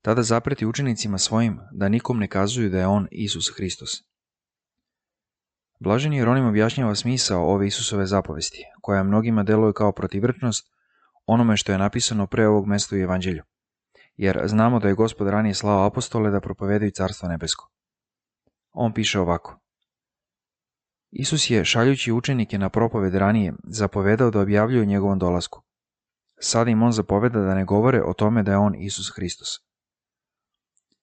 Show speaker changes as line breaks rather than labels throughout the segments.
Tada zapreti učenicima svojim da nikom ne kazuju da je on Isus Hristos. Blaženi Jeronim objašnjava smisao ove Isusove zapovesti, koja mnogima deluje kao protivrčnost onome što je napisano pre ovog mesta u Evanđelju, jer znamo da je Gospod ranije slao apostole da propovedaju Carstvo nebesko. On piše ovako. Isus je, šaljući učenike na propoved ranije, zapovedao da objavljuju njegovom dolasku. Sada im on zapoveda da ne govore o tome da je on Isus Hristos.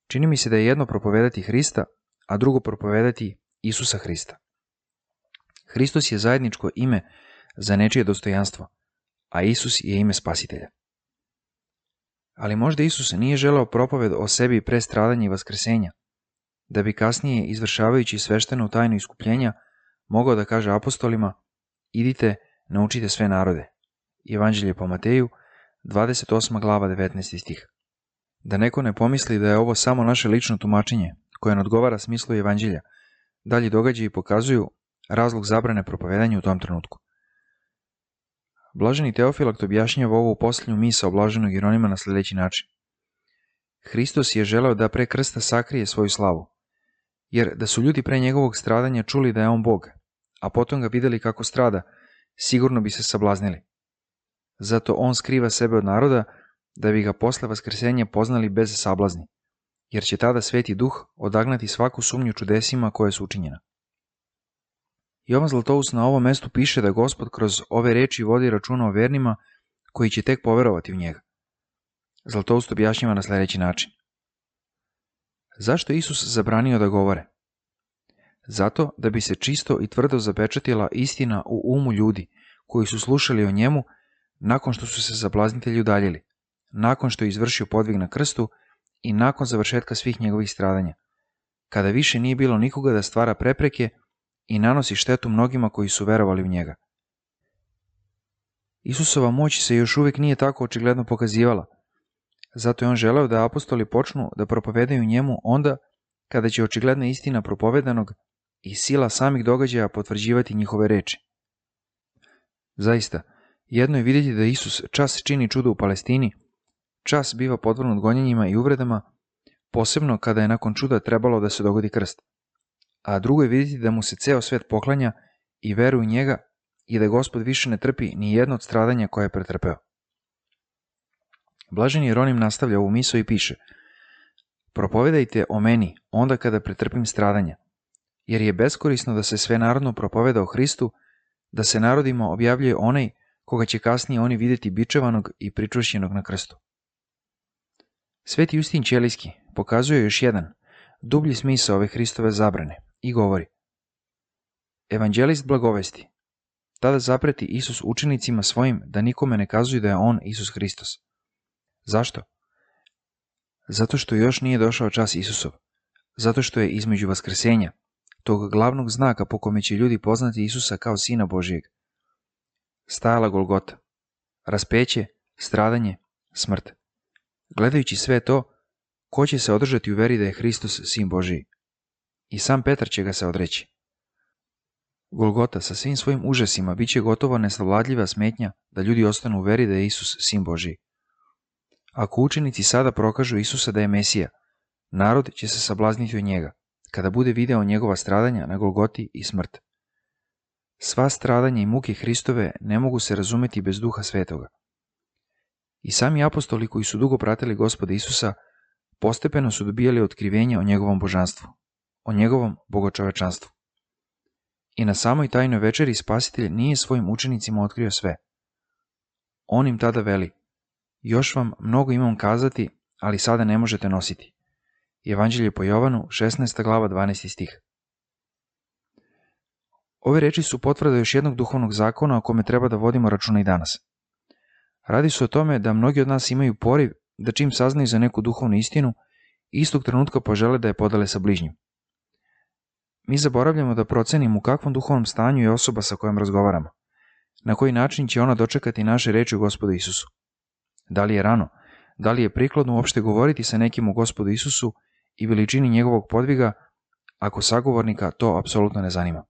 Čini mi se da je jedno propovedati Hrista, a drugo propovedati Isusa Hrista. Hristos je zajedničko ime za nečije dostojanstvo, a Isus je ime Spasitelja. Ali možda Isus nije želeo propoved o sebi pre stradanja i vaskrsenja, da bi kasnije, izvršavajući sveštenu tajnu iskupljenja, mogao da kaže apostolima: idite, naučite sve narode. Evanđelje po Mateju, 28. glava, 19. stih. Da neko ne pomisli da je ovo samo naše lično tumačenje, koje ne odgovara smislu Evanđelja, dalji događaji pokazuju razlog zabrane propovedanja u tom trenutku. Blaženi Teofilakt objašnjava ovu posljednju misao blaženog Jeronima na sljedeći način. Hristos je želeo da pre krsta sakrije svoju slavu, jer da su ljudi pre njegovog stradanja čuli da je on Bog, a potom ga videli kako strada, sigurno bi se sablaznili. Zato on skriva sebe od naroda, da bi ga posle vaskrsenja poznali bez sablazni, jer će tada Sveti Duh odagnati svaku sumnju čudesima koje su učinjena. Jovan Zlatoust na ovom mestu piše da Gospod kroz ove reči vodi računa o vernima koji će tek poverovati u njega. Zlatoust objašnjava na sljedeći način. Zašto je Isus zabranio da govore? Zato da bi se čisto i tvrdo zapečatila istina u umu ljudi koji su slušali o njemu nakon što su se sablaznitelji udaljili, nakon što je izvršio podvig na krstu i nakon završetka svih njegovih stradanja, kada više nije bilo nikoga da stvara prepreke i nanosi štetu mnogima koji su verovali u njega. Isusova moć se još uvijek nije tako očigledno pokazivala, zato je on želeo da apostoli počnu da propovedaju njemu onda kada će očigledna istina propovedanog i sila samih događaja potvrđivati njihove reči. Zaista, jedno je vidjeti da Isus čas čini čudo u Palestini, čas biva podvrgnut gonjenjima i uvredama, posebno kada je nakon čuda trebalo da se dogodi krst. A drugo je vidjeti da mu se ceo svet poklanja i veruje u njega i da Gospod više ne trpi ni jedno od stradanja koje je pretrpeo. Blaženi Jeronim nastavlja ovu misao i piše: propovedajte o meni onda kada pretrpim stradanja, jer je beskorisno da se sve narodno propoveda o Hristu, da se narodima objavljuje onaj koga će kasnije oni vidjeti bičevanog i pričvršćenog na krstu. Sveti Justin Ćelijski pokazuje još jedan, dublji smisao ove Hristove zabrane i govori: Evanđelist blagovesti. Tada zapreti Isus učenicima svojim da nikome ne kazuju da je on Isus Hristos. Zašto? Zato što još nije došao čas Isusov. Zato što je između vaskrsenja, tog glavnog znaka po kome će ljudi poznati Isusa kao Sina Božijeg, stajala Golgota, raspeće, stradanje, smrt. Gledajući sve to, ko će se održati u veri da je Hristos Sin Božiji? I sam Petar će ga se odreći. Golgota sa svim svojim užasima bit će gotovo nesavladljiva smetnja da ljudi ostanu u veri da je Isus Sin Božiji. Ako učenici sada prokažu Isusa da je Mesija, narod će se sablazniti od njega, kada bude video njegova stradanja na Golgoti i smrt. Sva stradanja i muke Hristove ne mogu se razumeti bez Duha Svetoga. I sami apostoli koji su dugo pratili Gospoda Isusa, postepeno su dobijali otkrivenje o njegovom božanstvu, o njegovom bogočovečanstvu. I na samoj tajnoj večeri Spasitelj nije svojim učenicima otkrio sve. On im tada veli: još vam mnogo imam kazati, ali sada ne možete nositi. Evanđelje po Jovanu, 16. glava, 12. stih. Ove reči su potvrda još jednog duhovnog zakona o kome treba da vodimo računa i danas. Radi se o tome da mnogi od nas imaju poriv da čim saznaju za neku duhovnu istinu, istog trenutka požele da je podele sa bližnjim. Mi zaboravljamo da procenimo u kakvom duhovnom stanju je osoba sa kojom razgovaramo, na koji način će ona dočekati naše reči u Gospodu Isusu. Da li je rano, da li je prikladno uopšte govoriti sa nekim o Gospodu Isusu i veličini njegovog podviga, ako sagovornika to apsolutno ne zanima.